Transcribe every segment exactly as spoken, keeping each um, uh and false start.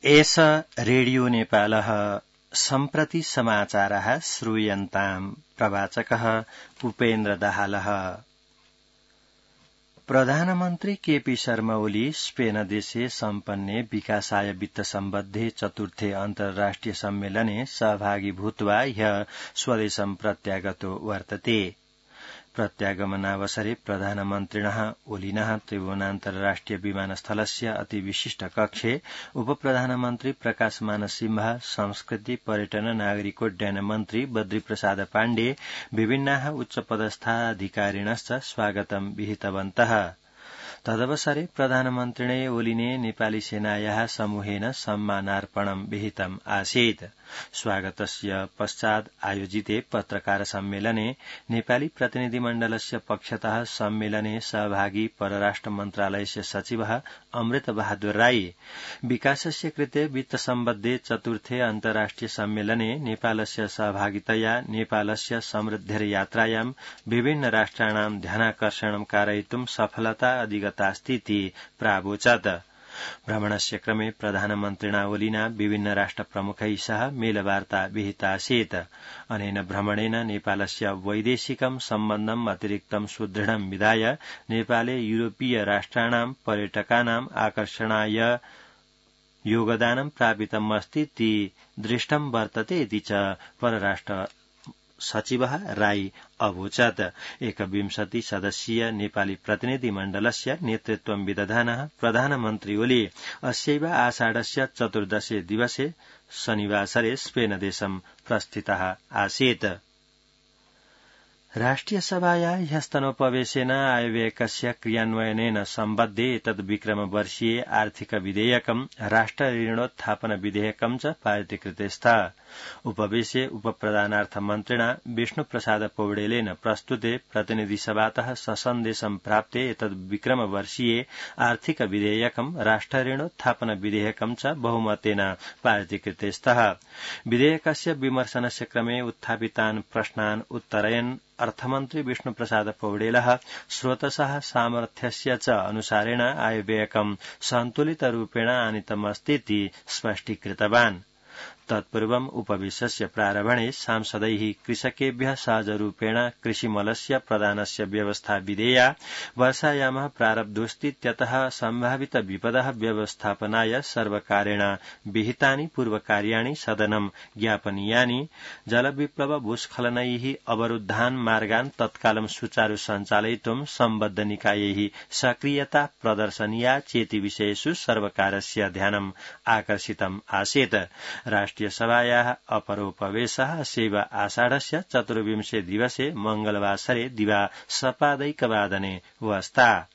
एष रेडियो नेपालः सम्प्रति समाचारः श्रूयन्ताम् प्रवाचकः उपेन्द्र दाहालः। प्रधानमन्त्री केपी शर्मा ओली स्पेन देशे सम्पन्ने विकासाय वित्त सम्बद्धे चतुर्थे अन्तर्राष्ट्रिय सम्मेलने सहभागी भूत्वा ह्यः स्वदेशं प्रत्यागतो वर्तते। प्रत्यागमनावसरे प्रधानमन्त्रिणः ओलिनः त्रिभुवनान्तर्राष्ट्रिय विमानस्थलस्य अति विशिष्ट कक्षे उपप्रधानमन्त्री प्रकाशमान सिंह, संस्कृति पर्यटन नागरिकोड्डयन मन्त्री बद्रीप्रसाद पाण्डे, विभिन्नाः उच्चपदस्थाधिकारिणश्च स्वागतं विहितवन्तः। तदवसरे प्रधानमन्त्रिणे ओलिने नेपाली सेनायाः समूहेन सम्मानार्पणं विहितम् आसीत्। स्वागतस्य पश्चात् आयोजिते पत्रकार सम्मेलने नेपाली प्रतिनिधिमण्डलस्य पक्षतः सम्मेलने सहभागी परराष्ट्र मन्त्रालयस्य सचिवः अमृत बहादुर राई विकासस्य कृते वित्त सम्बद्धे चतुर्थे अन्तर्राष्ट्रिय सम्मेलने नेपालस्य सहभागितया नेपालस्य समृद्धिर्यात्रायां विभिन्न राष्ट्राणां ध्यानाकर्षणं कारयितुं सफलता अधिगतास्तीति प्रावोचत्। भ्रमणस्य क्रमे प्रधानमन्त्रिणा ओलिना विभिन्न राष्ट्रप्रमुखैः सह मेलवार्ता विहितासीत्। अनेन भ्रमणेन नेपालस्य वैदेशिकं सम्बन्धम् अतिरिक्तं सुदृढं विधाय नेपाले यूरोपीय राष्ट्राणां पर्यटकानाम् आकर्षणाय योगदानं प्रापितमस्तीति दृष्टं वर्तते इति च परराष्ट्र सचिवः राई अवोचत्। एकविंशति सदस्यीय नेपाली प्रतिनिधिमण्डलस्य नेतृत्वं विदधानः प्रधानमन्त्री ओली अस्यैव आषाढस्य चतुर्दशे दिवसे शनिवासरे स्पेन देशं प्रस्थितः आसीत्। राष्ट्रियसभाया ह्यस्तनोपवेशेन आयव्ययकस्य क्रियान्वयनेन सम्बद्धे एतद् विक्रमवर्षीये आर्थिक विधेयकं राष्ट्र ऋणोत्थापन विधेयकं च पारितीकृते स्तः। उपवेशे उपप्रधानार्थमन्त्रिणा विष्णुप्रसाद पौडेलेन प्रस्तुते प्रतिनिधिसभातः ससन्देशं प्राप्ते एतद् विक्रमवर्षीये आर्थिक विधेयकं राष्ट्र ऋणोत्थापन विधेयकं च बहुमतेन पारितीकृते स्तः। विधेयकस्य विमर्शनस्य क्रमे उत्थापितान् प्रश्नान् उत्तरयन् अर्थमन्त्री विष्णुप्रसाद पौडेलः स्रोतसः सामर्थ्यस्य च अनुसारेण आयव्ययकं सन्तुलितरूपेण आनीतमस्तीति स्पष्टीकृतवान्। तत्पूर्वम् उपवेशस्य प्रारम्भणे सांसदैः कृषकेभ्यः सहजरूपेण कृषिमलस्य प्रदानस्य व्यवस्था विधेया, वर्षायामः प्रारब्धोऽस्तीत्यतः सम्भावित विपदः व्यवस्थापनाय सर्वकारेण विहितानि पूर्वकार्याणि सदनं ज्ञापनीयानि, जलविप्लव भूस्खलनैः अवरुद्धान् मार्गान् तत्कालं सुचारु सञ्चालयितुं सम्बद्ध निकायैः सक्रियता प्रदर्शनीया चेति विषयेषु सर्वकारस्य ध्यानम् आकर्षितम् आसीत्। राष्ट्रियसभायाः अपरोपवेशः अस्य आषाढस्य चतुर्विंशे दिवसे मंगलवासरे दिवा सपादैकवादने वस्ता।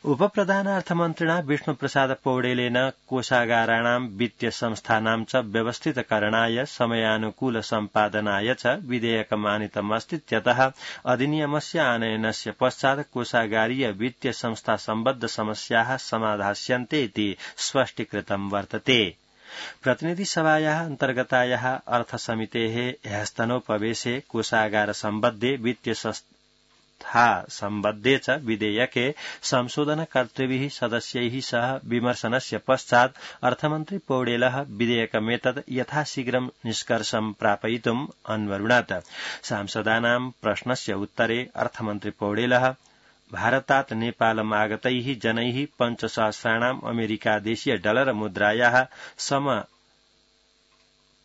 उपप्रधानार्थमन्त्रिणा विष्णुप्रसाद पौडेलेन कोषागाराणां वित्तीय संस्थानां च व्यवस्थितकरणाय समयानुकूल सम्पादनाय च विधेयकमानीतमस्तीत्यतः अधिनियमस्य आनयनस्य पश्चात् कोषागारीय वित्तीय संस्था सम्बद्ध समस्याः समाधास्यन्ते इति स्पष्टीकृतं वर्तते। प्रतिनिधिसभायाः अन्तर्गतायाः अर्थसमितेः ह्यस्तनोपवेशे कोषागार सम्बद्धे वित्तीय संस्था सम्बद्धे च विधेयके संशोधनकर्तृभिः सदस्यैः सह विमर्शनस्य पश्चात् अर्थमन्त्री पौडेलः विधेयकमेतत् यथाशीघ्रं निष्कर्षं प्रापयितुम् अन्वरुणत्। सांसदानां प्रश्नस्य उत्तरे अर्थमन्त्री पौडेलः भारतात् नेपालम् आगतैः जनैः पञ्चसहस्राणाम् अमेरिकादेशीय डलर मुद्रायाः सम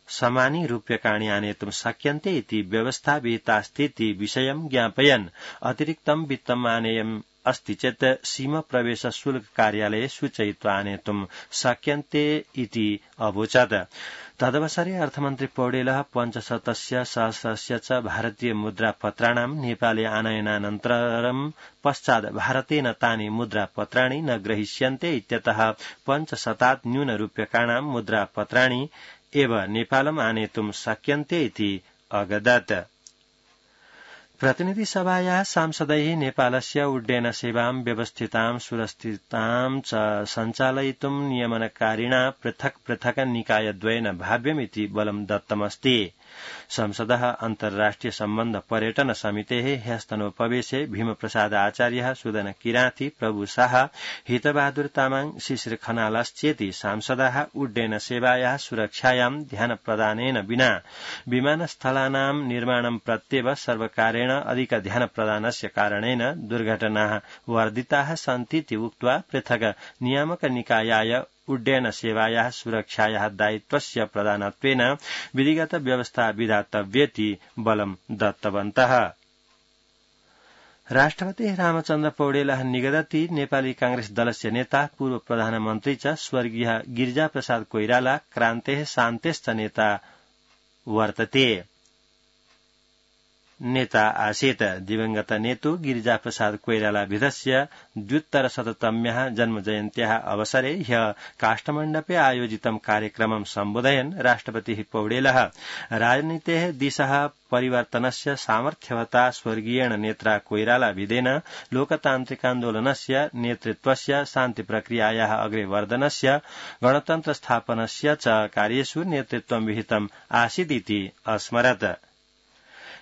समानि रूप्यकाणि आनेतुं शक्यन्ते इति व्यवस्था विहितास्तीति विषयं ज्ञापयन् अतिरिक्तं वित्तम् आनेयम् अस्ति चेत् सीमा प्रवेश शुल्क कार्यालये सूचयित्वा आनेतुं शक्यन्ते इति अवोचत्। तदवसरे अर्थमन्त्री पौडेलः पञ्चशतस्य सहस्रस्य च भारतीय मुद्रापत्राणां नेपाले आनयनानन्तरं पश्चात् भारतेन तानि मुद्रापत्राणि न ग्रहीष्यन्ते इत्यतः पञ्चशतात् न्यूनरूप्यकाणां मुद्रापत्राणि एव नेपालम् आनेतुं शक्यन्ते इति अगदत्। प्रतिनिधिसभायाः सांसदैः नेपालस्य उड्डयन सेवां व्यवस्थितां सुरक्षितां च सञ्चालयितुं नियमनकारिणा पृथक् पृथक् निकायद्वयेन भाव्यमिति बलं दत्तमस्ति। संसदः अन्तर्राष्ट्रिय सम्बन्ध पर्यटन समितेः ह्यस्तनोपवेशे भीमप्रसाद आचार्यः सुदन किराँती प्रभु शाह हितबहादुर तामाङ शिशिर खनालश्चेति सांसदाः उड्डयन सेवायाः सुरक्षायां ध्यान प्रदानेन विना विमानस्थलानां निर्माणं प्रत्येव सर्वकारेण अधिक ध्यान प्रदानस्य कारणेन दुर्घटनाः वर्धिताः सन्तीति उक्त्वा पृथक् नियामक निकायाय उड्डयन सेवायाः सुरक्षायाः दायित्वस्य प्रदानत्वेन विधिगत व्यवस्था विधातव्येति बलं दत्तवन्तः। राष्ट्रपति रामचन्द्र पौडेलः निगदति नेपाली कांग्रेस दलस्य नेता पूर्व प्रधानमन्त्री च स्वर्गीय गिरिजाप्रसाद कोइराला क्रान्तेः शान्तेश्च नेता वर्तते नेता आसीत्। दिवंगत नेतु गिरिजाप्रसाद कोइराला विधस्य द्व्युत्तरशततम्याः जन्मजयन्त्याः अवसरे ह्यः काष्ठमण्डपे आयोजितं कार्यक्रमं सम्बोधयन् राष्ट्रपतिः पौडेलः राजनीतेः दिशः परिवर्तनस्य सामर्थ्यवता स्वर्गीयेण नेत्रा कोइराला विदेन लोकतान्त्रिकान्दोलनस्य नेतृत्वस्य शान्तिप्रक्रियायाः अग्रे वर्धनस्य गणतन्त्र स्थापनस्य च कार्येषु नेतृत्वं विहितम् आसीदिति अस्मरत्।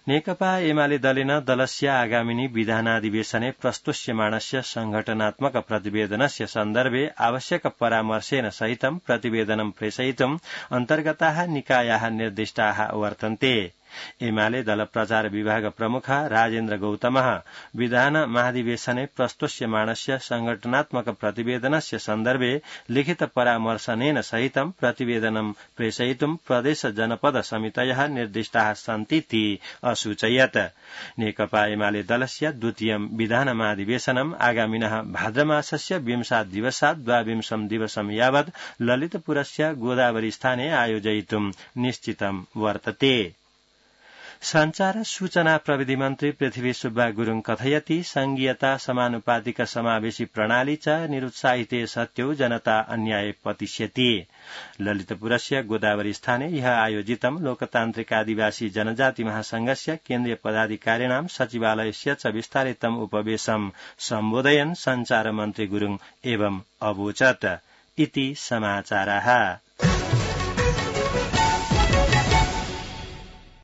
नेकपा एमाले दलेन दलस्य आगामिनी विधानाधिवेशने प्रस्तुष्यमाणस्य संघटनात्मक प्रतिवेदनस्य सन्दर्भे आवश्यक परामर्शेन सहितं प्रतिवेदनं प्रेषयितुम् अन्तर्गताः निकायाः निर्दिष्टाः वर्तन्ते। एमाले दल प्रचार विभाग प्रमुख राजेन्द्र गौतमः विधान महाधिवेशने प्रस्तुष्यमाणस्य संघटनात्मक प्रतिवेदनस्य सन्दर्भे लिखित परामर्शनेन सहितं प्रतिवेदनं प्रेषयितुं प्रदेश जनपद समितयः निर्दिष्टाः सन्तीति असूचयत्। नेकपा एमाले दलस्य द्वितीयं विधान महाधिवेशनम् आगामिनः भाद्रमासस्य विंशात् दिवसात् द्वाविंशं दिवसं यावत् ललितपुरस्य गोदावरी स्थाने आयोजयितुं निश्चितं वर्तते। संचार सूचना प्रविधि मन्त्री पृथ्वी सुब्बा गुरूङ कथयति संघीयता समानुपातिक समावेशी प्रणाली च निरुत्साहिते सत्यौ जनता अन्याये पतिष्यति। ललितपुरस्य गोदावरी स्थाने ह्यः आयोजितं लोकतान्त्रिक आदिवासी जनजाति महासंघस्य केन्द्रीय पदाधिकारिणां सचिवालयस्य च विस्तारितम् उपवेशं सम्बोधयन् संचार मन्त्री गुरूङ एवं अवोचत्। इति समाचाराः।